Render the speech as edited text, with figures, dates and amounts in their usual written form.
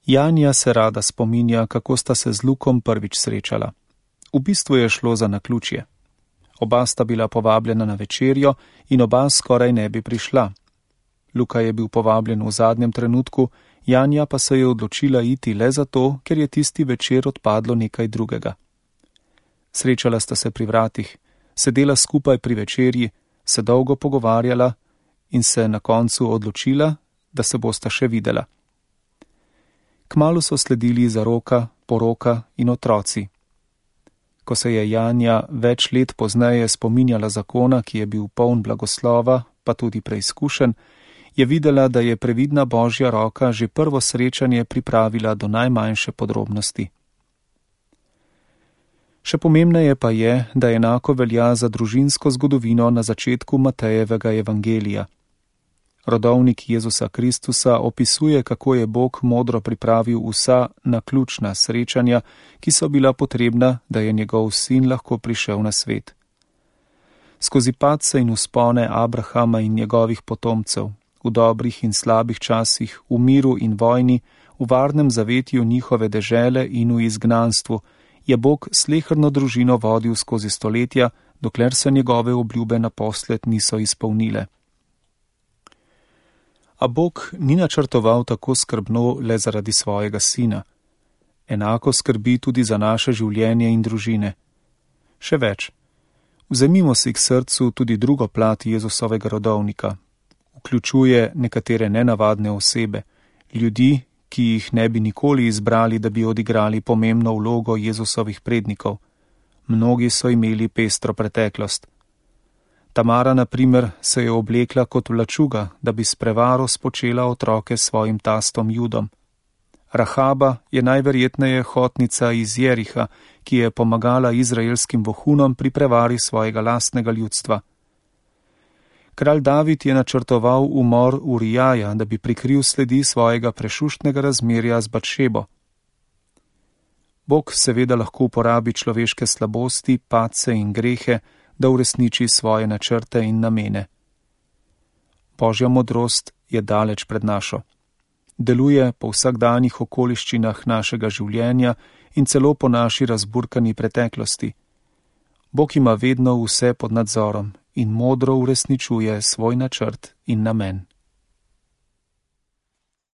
Janja se rada spominja, kako sta se z Lukom prvič srečala. V bistvu je šlo za naključje. Oba sta bila povabljena na večerjo in oba skoraj ne bi prišla. Luka je bil povabljen v zadnjem trenutku, Janja pa se je odločila iti le zato, ker je tisti večer odpadlo nekaj drugega. Srečala sta se pri vratih, sedela skupaj pri večerji, se dolgo pogovarjala in se na koncu odločila, da se bosta še videla. Kmalu so sledili zaroka, poroka in otroci. Ko se je Janja več let pozneje spominjala zakona, ki je bil poln blagoslova, pa tudi preizkušen, je videla, da je previdna Božja roka že prvo srečanje pripravila do najmanjše podrobnosti. Še pomembneje pa je, da enako velja za družinsko zgodovino na začetku Matejevega evangelija. Rodovnik Jezusa Kristusa opisuje, kako je Bog modro pripravil vsa naključna srečanja, ki so bila potrebna, da je njegov sin lahko prišel na svet. Skozi padce in vzpone Abrahama in njegovih potomcev, v dobrih in slabih časih, v miru in vojni, v varnem zavetju njihove dežele in v izgnanstvu, je Bog sleherno družino vodil skozi stoletja, dokler se njegove obljube naposled niso izpolnile. A Bog ni načrtoval tako skrbno le zaradi svojega sina. Enako skrbi tudi za naše življenje in družine. Še več, vzemimo si k srcu tudi drugo plat Jezusovega rodovnika. Vključuje nekatere nenavadne osebe, ljudi, ki jih ne bi nikoli izbrali, da bi odigrali pomembno vlogo Jezusovih prednikov. Mnogi so imeli pestro preteklost. Tamara, na primer, se je oblekla kot vlačuga, da bi s prevaro spočela otroke svojim tastom Judom. Rahaba je najverjetneje hotnica iz Jeriha, ki je pomagala izraelskim vohunom pri prevari svojega lastnega ljudstva. Kralj David je načrtoval umor Urijaja, da bi prikril sledi svojega prešuštnega razmerja z Batšebo. Bog seveda lahko uporabi človeške slabosti, padce in grehe, da uresniči svoje načrte in namene. Božja modrost je daleč pred našo. Deluje po vsakdanjih okoliščinah našega življenja in celo po naši razburkani preteklosti. Bog ima vedno vse pod nadzorom in modro uresničuje svoj načrt in namen.